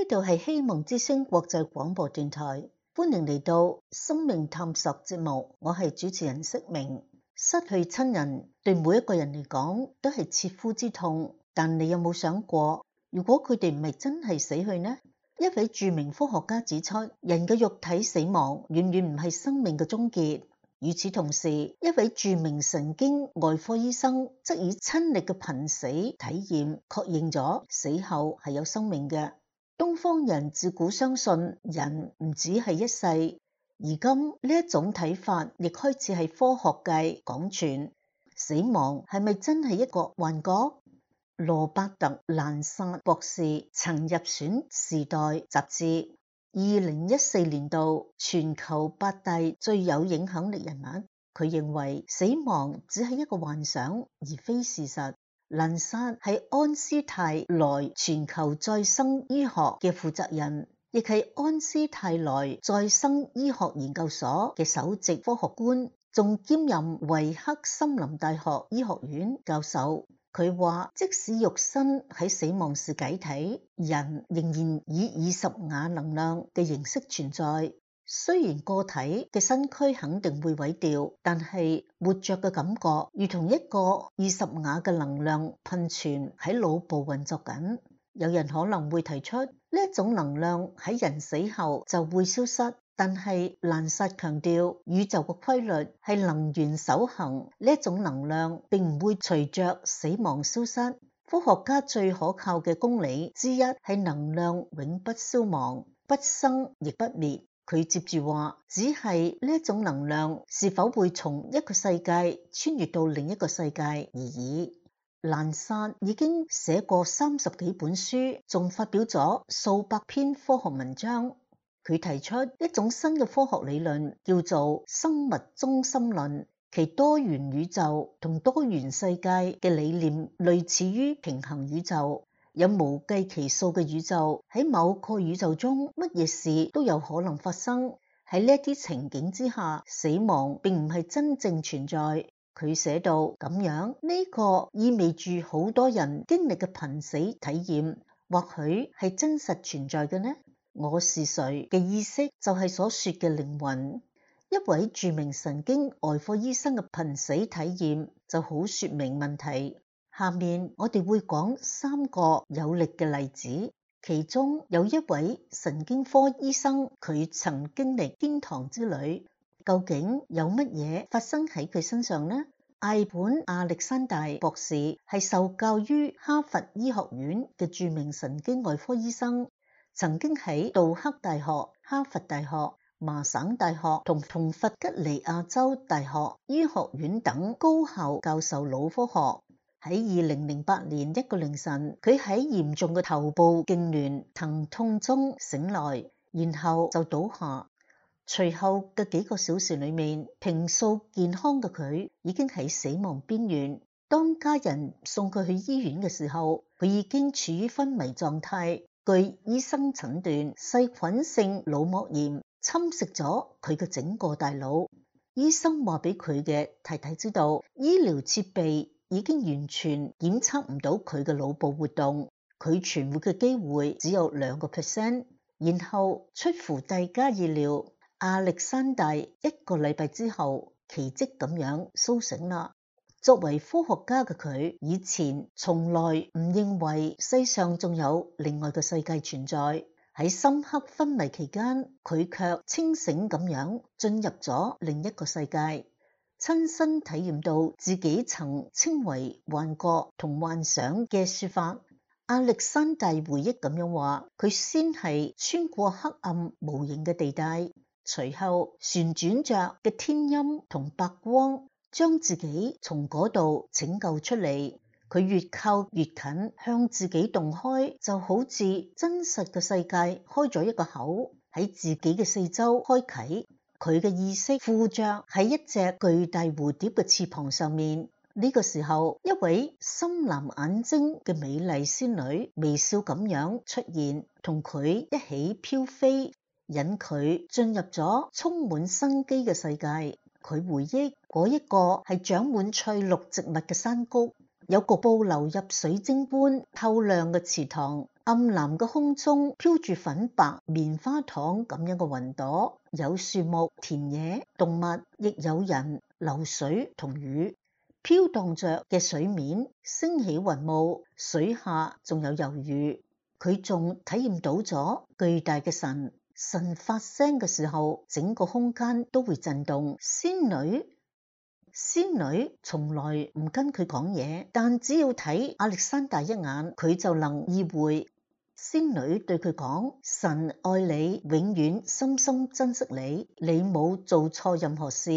度係希望之聲國際廣播電台，歡迎嚟到生命探索節目。我係主持人釋明。失去親人對每一個人嚟講都係切膚之痛，但你有冇想過，如果佢哋唔係真係死去呢？一位著名科學家指出，人嘅肉體死亡遠遠唔係生命嘅終結。與此同時，一位著名神經外科醫生則以親歷嘅瀕死體驗確認咗死後係有生命嘅。東方人自古相信人唔只係一世，而今呢一種睇法亦開始喺科學界廣傳。死亡係咪真係一個幻覺？羅伯特蘭薩博士曾入選《時代》雜誌2014年度全球8大最有影響力人物。佢認為死亡只係一個幻想，而非事實。蘭薩係安斯泰萊全球再生醫學嘅負責人，亦係安斯泰萊再生醫學研究所嘅首席科學官，仲兼任維克森林大學醫學院教授。佢話，即使肉身喺死亡時解體，人仍然以20亞能量嘅形式存在。雖然個體嘅身軀肯定會毀掉，但係活着嘅感覺如同一個20亞嘅能量噴泉喺腦部運作緊。有人可能會提出，呢一種能量喺人死後就會消失，但係蘭薩強調，宇宙嘅規律係能源守恆，呢一種能量並唔會隨着死亡消失。科學家最可靠嘅公理之一係能量永不消亡，不生亦不滅。佢接住話，只係呢一種能量是否會從一個世界穿越到另一個世界而已。蘭薩已經寫過30幾本書，仲發表咗數百篇科學文章。佢提出一種新嘅科學理論，叫做生物中心論，其多元宇宙同多元世界嘅理念類似於平衡宇宙。有無計其數嘅宇宙，喺某個宇宙中，乜嘢事都有可能發生。喺呢一啲情景之下，死亡並唔係真正存在。佢寫到咁樣，呢個意味住好多人經歷嘅瀕死體驗，或許係真實存在嘅呢？我是誰嘅意識就係所說嘅靈魂。一位著名神經外科醫生嘅瀕死體驗就好說明問題。下面我哋會講3個有力嘅例子，其中有一位神經科醫生，佢曾經歷天堂之旅。究竟有乜嘢發生喺佢身上呢？艾本亞歷山大博士係受教於哈佛醫學院嘅著名神經外科醫生，曾經喺杜克大學、哈佛大學、麻省大學同弗吉尼亞州大學醫學院等高校教授腦科學。喺2008年一個凌晨，佢喺嚴重嘅頭部痙攣疼痛中醒來，然後就倒下。隨後嘅幾個小時裏面，平素健康嘅佢已經喺死亡邊緣。當家人送佢去醫院嘅時候，佢已經處於昏迷狀態。據醫生診斷，細菌性腦膜炎侵蝕咗佢嘅整個大腦。醫生話俾佢嘅太太知道，醫療設備已經完全檢測唔到佢嘅腦部活動，佢存活嘅機會只有2%。然後出乎大家意料，亞歷山大1個禮拜之後奇蹟咁樣甦醒啦。作為科學家嘅佢，以前從來唔認為世上仲有另外嘅世界存在。喺深刻昏迷期間，佢卻清醒咁樣進入咗另一個世界，親身體驗到自己曾稱為幻覺同幻想嘅說法。亞歷山大回憶咁樣話，佢先係穿過黑暗無形嘅地帶，隨後旋轉着嘅天陰同白光將自己從嗰度拯救出嚟。佢越靠越近，向自己洞開，就好似真實嘅世界開咗一個口，喺自己嘅四周開啟。佢嘅意識附着喺一隻巨大蝴蝶嘅翅膀上面。呢個時候，一位深藍眼睛嘅美麗仙女微笑咁樣出現，同佢一起飄飛，引佢進入咗充滿生機嘅世界。佢回憶嗰一個係長滿翠綠植物嘅山谷，有局部流入水晶般透亮嘅池塘，暗藍嘅空中飄住粉白棉花糖咁樣嘅雲朵，有樹木、田野、動物，亦有人、流水同雨。飄蕩着嘅水面升起雲霧，水下仲有魷魚。佢仲體驗到咗巨大嘅神發聲嘅時候，整個空間都會震動。仙女從來唔跟佢講嘢，但只要睇亞歷山大一眼，佢就能意會。仙女對佢講：神愛你，永遠深深珍惜你，你冇做錯任何事。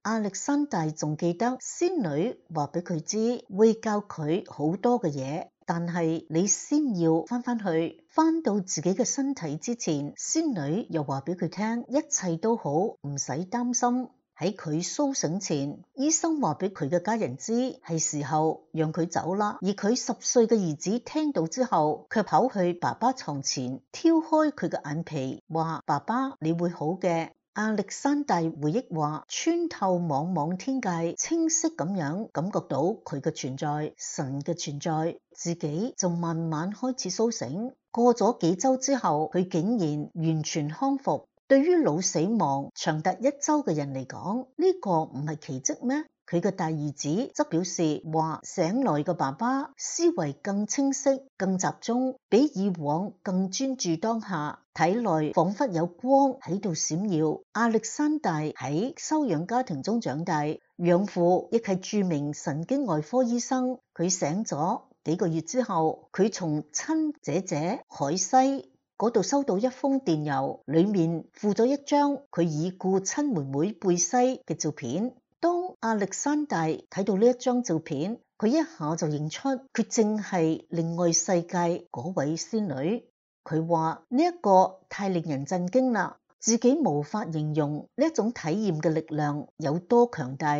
亞歷山大仲記得仙女話俾佢知會教佢好多嘅嘢，但係你先要翻去，翻到自己嘅身體之前，仙女又話俾佢聽一切都好，唔使擔心。喺佢甦醒前，醫生話俾佢嘅家人知係時候讓佢走啦。而佢10歲嘅兒子聽到之後，卻跑去爸爸床前挑開佢嘅眼皮，話：爸爸，你會好嘅。亞歷山大回憶話，穿透茫茫天界，清晰咁樣感覺到佢嘅存在，神嘅存在，自己就慢慢開始甦醒。過咗幾周之後，佢竟然完全康復。對於腦死亡長達1周嘅人嚟講，呢個唔係奇蹟咩？佢嘅大兒子則表示話，醒來嘅爸爸思維更清晰、更集中，比以往更專注當下，體內仿佛有光喺度閃耀。亞歷山大喺收養家庭中長大，養父亦係著名神經外科醫生。佢醒咗幾個月之後，佢從親姐姐海西嗰度收到一封電郵，裏面附咗一張佢已故親妹妹貝西嘅照片。當亞歷山大睇到呢一張照片，佢一下就認出佢正係另外世界嗰位仙女。佢話呢一個太令人震驚啦，自己無法形容呢一種體驗嘅力量有多強大。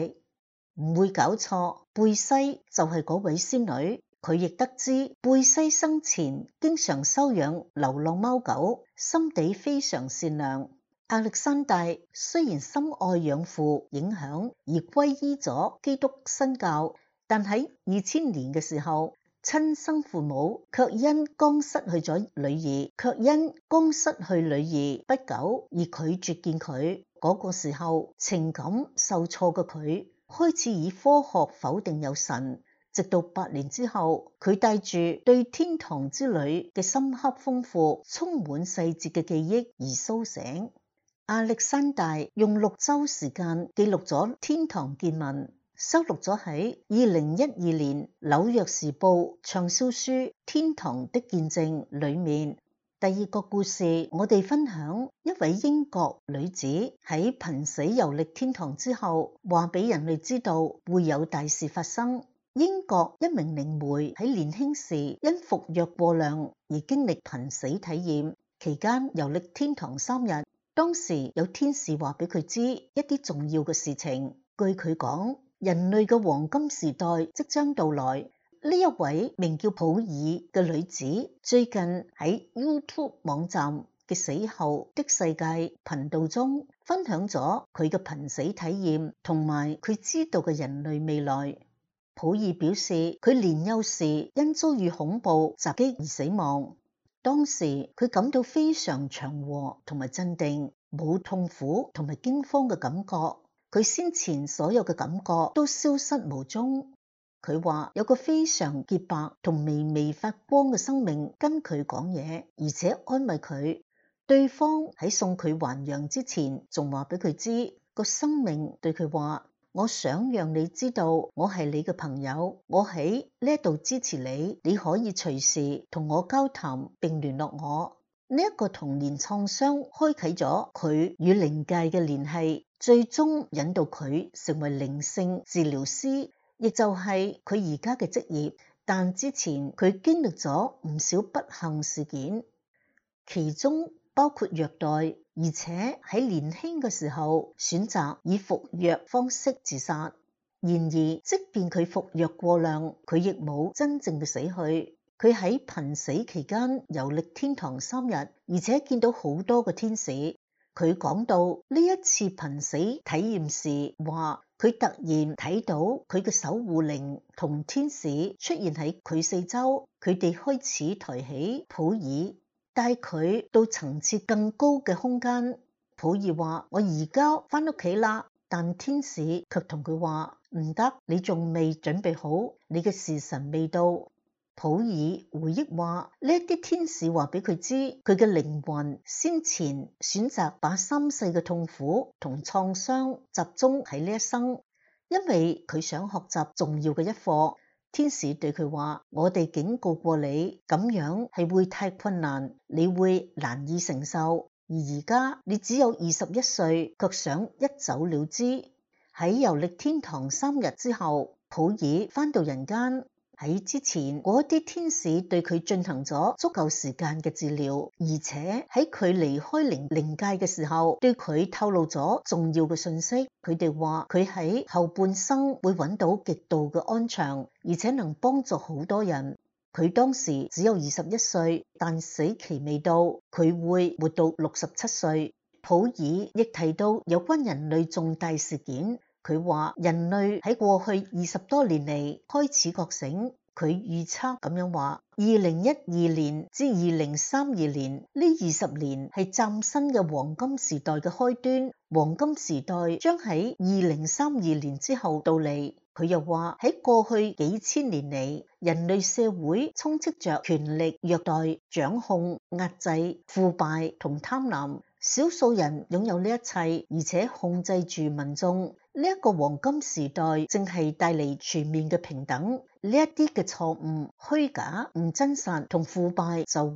唔會搞錯，貝西就係嗰位仙女。佢亦得知貝西生前經常收養流浪貓狗，心地非常善良。亞歷山大雖然深愛養父影響而皈依咗基督新教，但喺2000年嘅時候，親生父母卻因剛失去女兒不久而拒絕見佢。嗰個時候，情感受挫嘅佢開始以科學否定有神。直到8年之後，佢帶住對天堂之旅嘅深刻豐富、充滿細節嘅記憶而甦醒。亞歷山大用6週時間記錄咗天堂見聞，收錄咗喺2012年紐約時報暢銷書《天堂的見證》裏面。第2個故事，我哋分享一位英國女子喺瀕死遊歷天堂之後，話俾人類知道會有大事發生。英國一名靈媒喺年輕時因服藥過量而經歷瀕死體驗，期間遊歷天堂3日。當時有天使話俾佢知一啲重要嘅事情。據佢講，人類嘅黃金時代即將到來。呢一位名叫普爾嘅女子最近喺 YouTube 網站嘅死後的世界頻道中分享咗佢嘅瀕死體驗同埋佢知道嘅人類未來。普爾表示，佢年幼時因遭遇恐怖襲擊而死亡。當時佢感到非常祥和同埋鎮定，冇痛苦同埋驚慌嘅感覺。佢先前所有嘅感覺都消失無蹤。佢話有個非常潔白同微微發光嘅生命跟佢講嘢，而且安慰佢。對方喺送佢還陽之前，仲話俾佢知個生命對佢話：我想讓你知道我係你嘅朋友，我喺呢度支持你，你可以隨時同我交談並聯絡我。呢一個童年創傷開啟咗佢與靈界嘅聯繫，最終引導佢成為靈性治療師，亦就係佢而家嘅職業。但之前佢經歷咗唔少不幸事件，其中包括虐待，而且喺年輕嘅時候選擇以服藥方式自殺。然而，即便佢服藥過量，佢亦冇真正嘅死去。佢喺瀕死期間遊歷天堂3日，而且見到好多個天使。佢講到呢一次瀕死體驗時，話佢突然睇到佢嘅守護靈同天使出現喺佢四周，佢哋開始抬起普爾，帶佢到層次更高嘅空間。普爾話：我而家返屋企啦，但天使卻同佢話：唔得，你仲未準備好，你嘅時辰未到。普爾回憶話：呢一啲天使話俾佢知，佢嘅靈魂先前選擇把三世嘅痛苦同創傷集中喺呢一生，因為佢想學習重要嘅一課。天使對佢話：我哋警告過你，咁樣係會太困難，你會難以承受。而家你只有21歲，卻想一走了之。喺遊歷天堂3日之後，普爾返到人間。喺之前，嗰啲天使對佢進行咗足夠時間嘅治療，而且喺佢離開靈界嘅時候，對佢透露咗重要嘅信息。佢哋話佢喺後半生會揾到極度嘅安詳，而且能幫助好多人。佢當時只有21歲，但死期未到，佢會活到67歲。普爾亦提到有關人類重大事件。佢話人類喺過去20多年嚟開始覺醒。佢預測咁樣話，2012年至2032年呢20年係嶄新嘅黃金時代嘅開端。黃金時代將喺2032年之後到嚟。佢又話喺過去幾千年嚟，人類社會充斥着權力、虐待、掌控、壓制、腐敗同貪婪。少數人擁有呢一切，而且控制住民眾。呢一個黃金時代正係帶嚟全面嘅平等。呢一啲嘅錯誤、虛假、唔真實同腐敗就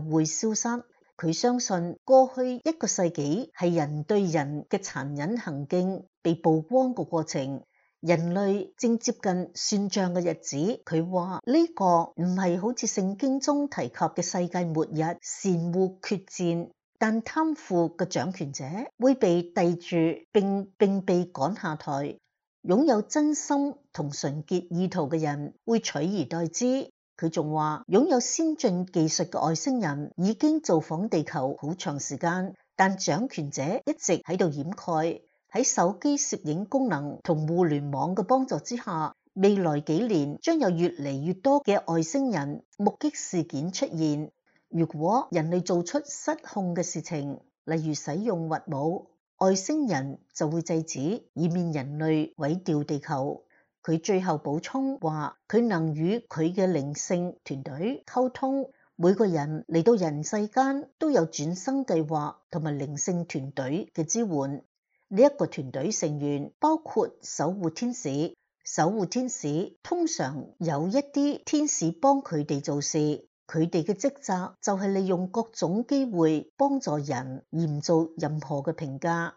會消失。佢相信過去1個世紀係人對人嘅殘忍行徑被曝光嘅過程。人類正接近算賬嘅日子。佢話呢個唔係好似聖經中提及嘅世界末日，善惡決戰。但貪腐嘅掌權者會被逮住並被趕下台，擁有真心同純潔意圖嘅人會取而代之。佢仲話，擁有先進技術嘅外星人已經造訪地球好長時間，但掌權者一直喺度掩蓋。喺手機攝影功能同互聯網嘅幫助之下，未來幾年將有越嚟越多嘅外星人目擊事件出現。如果人類做出失控嘅事情，例如使用核武，外星人就會制止，以免人類毀掉地球。佢最後補充話，佢能與佢嘅靈性團隊溝通，每個人嚟到人世間都有轉生計劃同埋靈性團隊嘅支援。呢一個團隊成員包括守護天使。守護天使通常有一啲天使幫佢哋做事。佢哋嘅職責就係利用各種機會幫助人，而唔做任何嘅評價。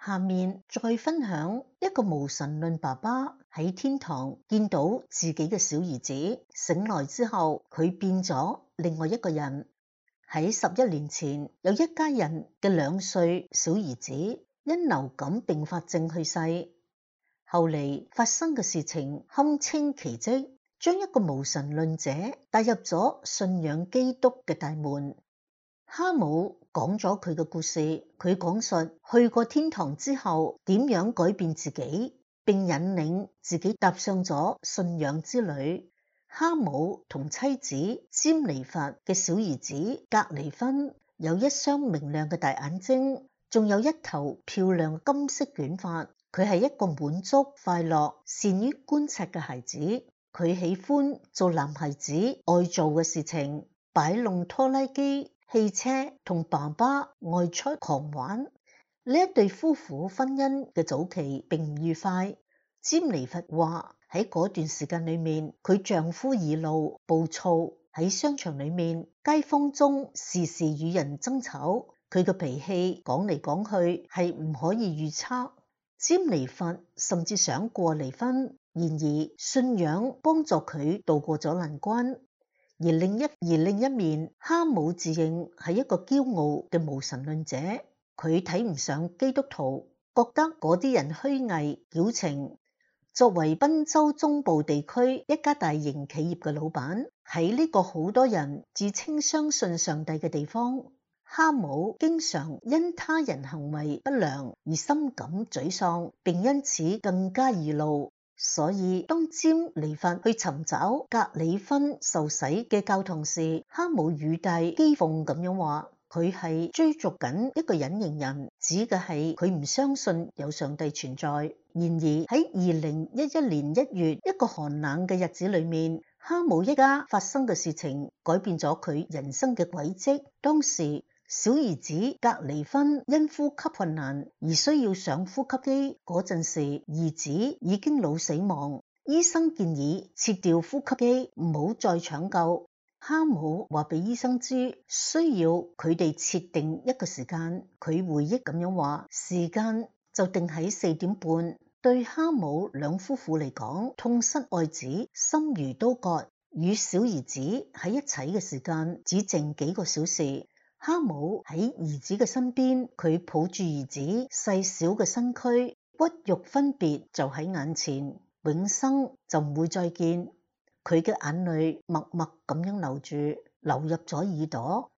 下面再分享一個無神論爸爸喺天堂見到自己嘅小兒子，醒來之後佢變咗另外一個人。喺11年前，有一家人嘅2歲小兒子因流感併發症去世。後嚟發生嘅事情堪稱奇蹟，將一個無神論者帶入咗信仰基督嘅大門。哈姆講咗佢嘅故事，佢講述去過天堂之後點樣改變自己，並引領自己踏上咗信仰之旅。哈姆同妻子詹妮弗嘅小兒子格尼芬有一雙明亮嘅大眼睛，仲有一頭漂亮金色捲髮。佢係一個滿足、快樂、善於觀察嘅孩子。佢喜歡做男孩子愛做嘅事情，擺弄拖拉機、汽車，同爸爸外出狂玩。呢一對夫婦婚姻嘅早期並唔愉快。詹妮弗話喺嗰段時間裏面，佢丈夫易怒、暴躁，喺商場裏面、街坊中時時與人爭吵。佢嘅脾氣講嚟講去係唔可以預測。詹妮弗甚至想過離婚，然而信仰幫助佢渡過咗難關。而另一面，哈姆自認係一個驕傲嘅無神論者，佢睇唔上基督徒，覺得嗰啲人虛偽矯情。作為賓州中部地區一家大型企業嘅老闆，喺呢個好多人自稱相信上帝嘅地方，哈姆經常因他人行為不良而深感沮喪，並因此更加易怒。所以當詹妮弗去尋找格里芬受洗嘅教堂時，哈姆語帶譏諷咁樣話，佢係追逐緊一個隱形人，指嘅係佢唔相信有上帝存在。然而喺2011年1月一個寒冷嘅日子裏面，哈姆一家發生嘅事情改變咗佢人生嘅軌跡。當時小兒子格尼芬因呼吸困難而需要上呼吸機，嗰陣時兒子已經腦死亡，醫生建議切掉呼吸機，唔好再搶救。哈姆話俾醫生知，需要佢哋設定一個時間。佢回憶咁樣話，時間就定喺4點半。對哈姆兩夫婦嚟講，痛失愛子，心如刀割。與小兒子喺一齊嘅時間只剩幾個小時。哈姆喺兒子嘅身邊，佢抱住兒子細小嘅身軀，骨肉分別就喺眼前，永生就唔會再見。佢嘅眼淚默默咁樣流住，流入咗耳朵。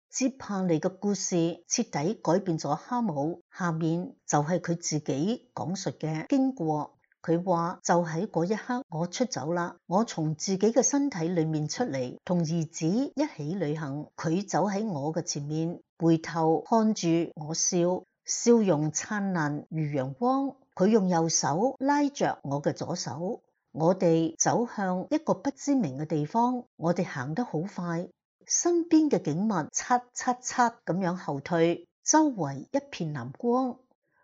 接下嚟嘅故事徹底改變咗哈姆，下面就係佢自己講述嘅經過。佢話就喺嗰一刻，我出走啦，我從自己嘅身體裏面出嚟，同兒子一起旅行。佢走喺我嘅前面，回頭看住我笑，笑容燦爛如陽光。佢用右手拉着我嘅左手，我哋走向一個不知名嘅地方。我哋行得好快，身邊嘅景物嚓嚓嚓咁樣後退，周圍一片藍光。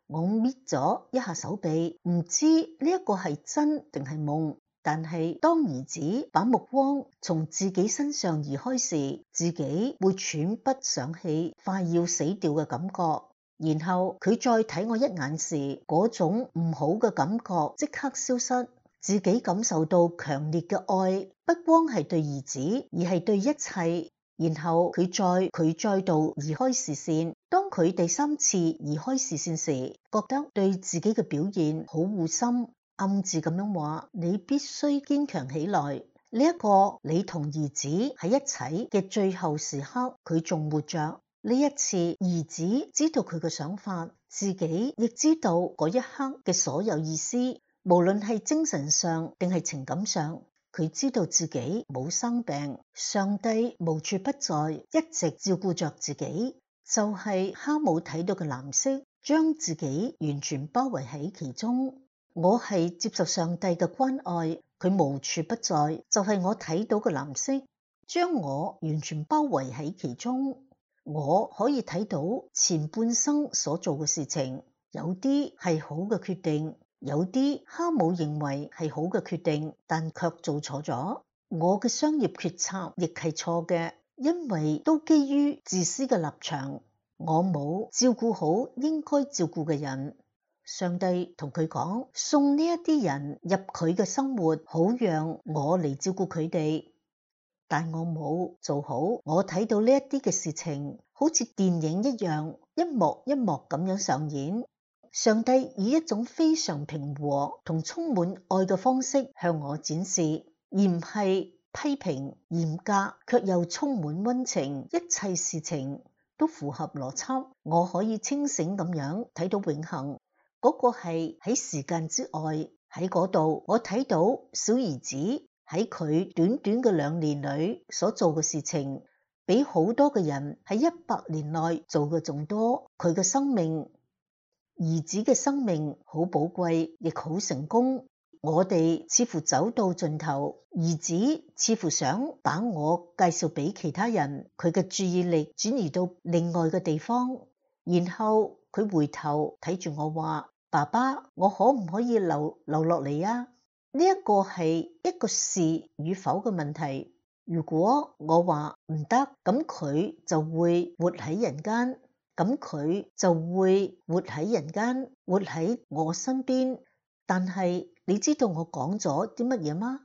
我搣咗一下手臂，唔知呢一個係真定係夢。但係當兒子把目光從自己身上移開時，自己會喘不上氣，快要死掉嘅感覺。然後佢再睇我一眼時，嗰種唔好嘅感覺即刻消失，自己感受到強烈嘅愛，不光係對兒子，而係對一切。然後佢再度移開視線。當佢第3次移開視線時，覺得對自己嘅表現好惡心，暗自咁樣話：你必須堅強起來。呢一個你同兒子喺一齊嘅最後時刻，佢仲活着。呢一次，兒子知道佢嘅想法，自己亦知道嗰一刻嘅所有意思，無論係精神上定係情感上。佢知道自己冇生病，上帝無處不在，一直照顧着自己。就係哈姆睇到嘅藍色，將自己完全包圍喺其中。我係接受上帝嘅關愛，佢無處不在，就係我睇到嘅藍色，將我完全包圍喺其中。我可以睇到前半生所做嘅事情，有啲係好嘅決定。有啲哈姆認為係好嘅決定，但卻做錯咗。我嘅商業決策亦係錯嘅，因為都基於自私嘅立場。我冇照顧好應該照顧嘅人。上帝同佢講，送呢一啲人入佢嘅生活，好讓我嚟照顧佢哋。但我冇做好。我睇到呢一啲嘅事情，好似電影一樣，一幕一幕咁樣上演。上帝以一種非常平和同充滿愛嘅方式向我展示，而唔係批評、嚴格，卻又充滿溫情，一切事情都符合邏輯。我可以清醒咁樣睇到永恆，嗰個係喺時間之外，喺嗰度我睇到小兒子喺佢短短嘅2年裏所做嘅事情，比好多嘅人喺100年內做嘅仲多。佢嘅生命，兒子嘅生命好寶貴，亦好成功。我哋似乎走到盡頭，兒子似乎想把我介紹俾其他人，佢嘅注意力轉移到另外嘅地方，然後佢回頭睇住我話：爸爸，我可唔可以留落嚟啊？呢一個係一個是與否嘅問題。如果我話唔得，咁佢就會活喺人間，咁佢就會活喺人間，活喺我身邊。但係你知道我講咗啲乜嘢嗎？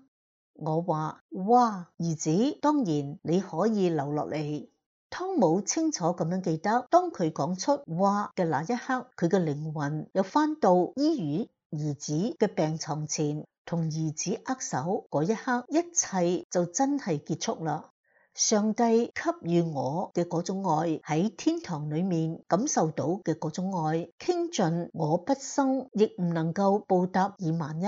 我話：哇，兒子，當然你可以留落嚟。湯姆清楚咁樣記得，當佢講出哇嘅那一刻，佢嘅靈魂又返到醫院兒子嘅病床前，同兒子握手嗰一刻，一切就真係結束啦。上帝給予我嘅嗰種愛，喺天堂裏面感受到嘅嗰種愛，傾盡我畢生亦唔能夠報答以萬一。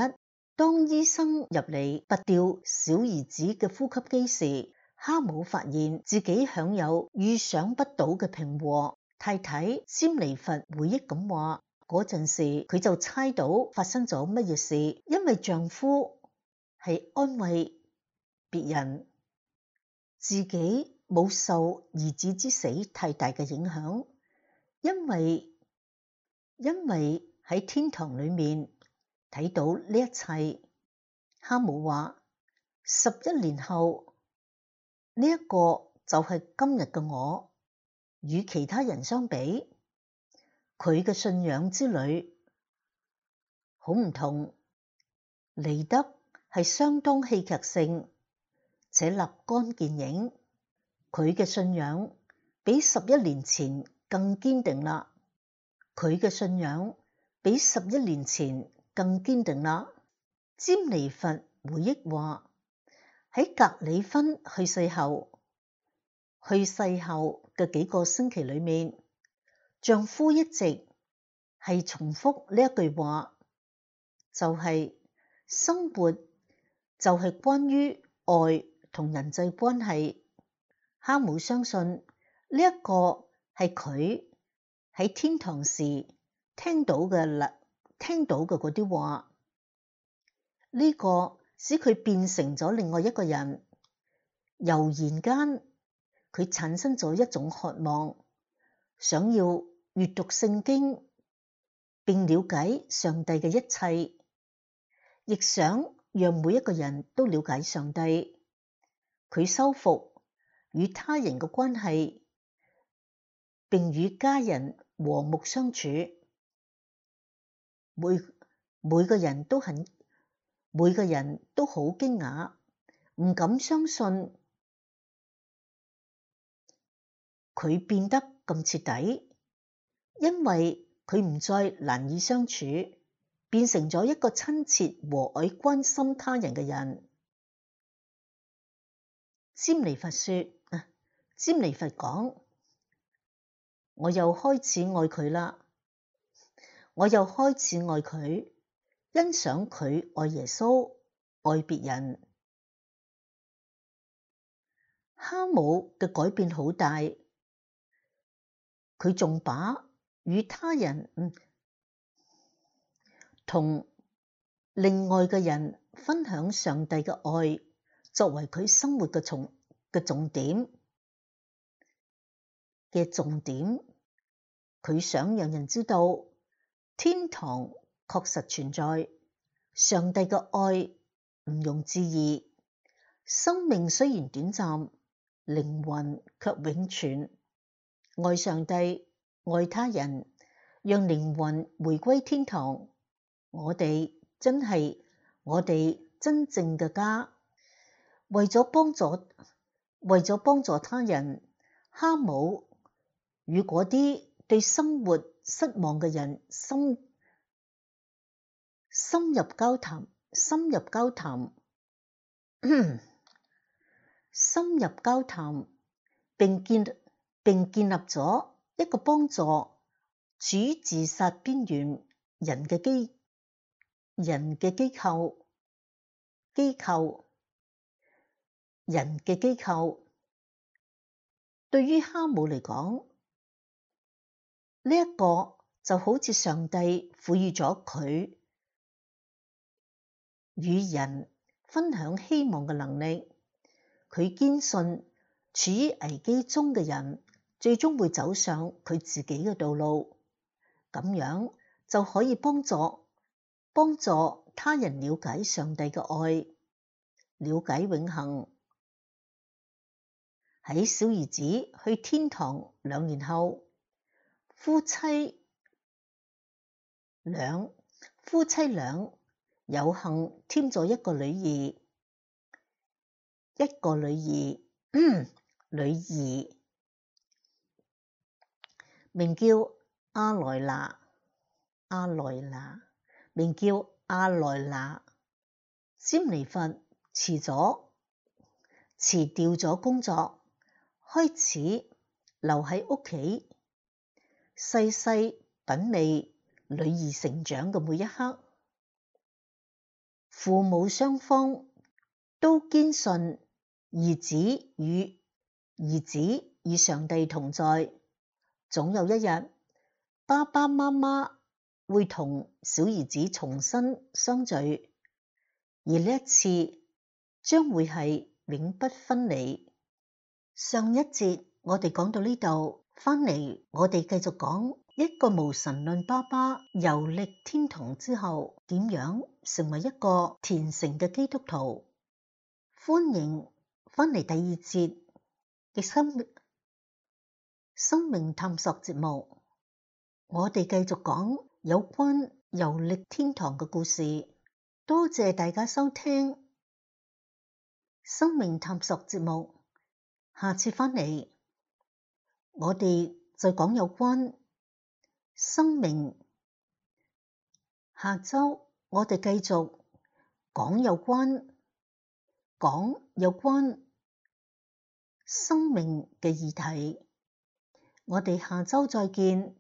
當醫生入嚟拔掉小兒子嘅呼吸機時，哈姆發現自己享有預想不到嘅平和。太太詹妮弗回憶咁話，嗰陣時佢就猜到發生咗乜嘢事，因為丈夫係安慰別人，自己冇受兒子之死太大嘅影響，因為喺天堂裏面睇到呢一切。哈姆話：11年後呢一個就係今日嘅我，與其他人相比，佢嘅信仰之旅好唔同，嚟得係相當戲劇性且立竿見影。佢嘅信仰比11年前更堅定啦，佢嘅信仰比11年前更堅定啦。詹妮弗回憶話：喺格里芬去世後嘅幾個星期裏面，丈夫一直係重複呢一句話，就係生活就係關於愛同人際關係。哈姆相信呢一個係佢喺天堂時聽到嘅嗰啲話，呢個使佢變成咗另外一個人。悠然間，佢產生咗一種渴望，想要閱讀聖經並了解上帝嘅一切，亦想讓每一個人都了解上帝。佢修復與他人嘅關係，並與家人和睦相處。每個人都好驚訝，唔敢相信佢變得咁徹底，因為佢唔再難以相處，變成咗一個親切和藹關心他人嘅人。詹妮弗講：我又開始愛佢啦，我又開始愛佢，欣賞佢愛耶穌，愛別人。哈姆嘅改變好大，佢仲把與他人同另外嘅人分享上帝嘅愛作為佢生活嘅重點。佢想讓人知道天堂確實存在，上帝嘅愛毋庸置疑，生命雖然短暫，靈魂卻永存。愛上帝，愛他人，讓靈魂回歸天堂，我哋真正嘅家。為咗幫助他人，哈姆與嗰啲對生活失望嘅人深入交談。深入交談，並建立咗一個幫助處於自殺邊緣人嘅機構。對於哈姆嚟講，呢一個就好似上帝賦予咗佢與人分享希望嘅能力。佢堅信處於危機中嘅人最終會走上佢自己嘅道路，咁樣就可以幫助他人了解上帝嘅愛，了解永恆。喺小兒子去天堂2年後，夫妻倆有幸添咗一個女兒，名叫阿萊娜。詹妮弗辭掉咗工作，開始留喺屋企，細細品味女兒成長嘅每一刻。父母雙方都堅信兒子與上帝同在，總有一日爸爸媽媽會同小兒子重新相聚，而呢一次將會係永不分離。上一節我哋講到呢度，返嚟我哋繼續講一個無神論爸爸遊歷天堂之後，點樣成為一個虔誠嘅基督徒。歡迎返嚟第2節嘅生命探索節目，我哋繼續講有關遊歷天堂嘅故事。多謝大家收聽生命探索節目，下次返嚟我哋再講有關生命。下週我哋繼續講有關生命嘅議題。我哋下週再見。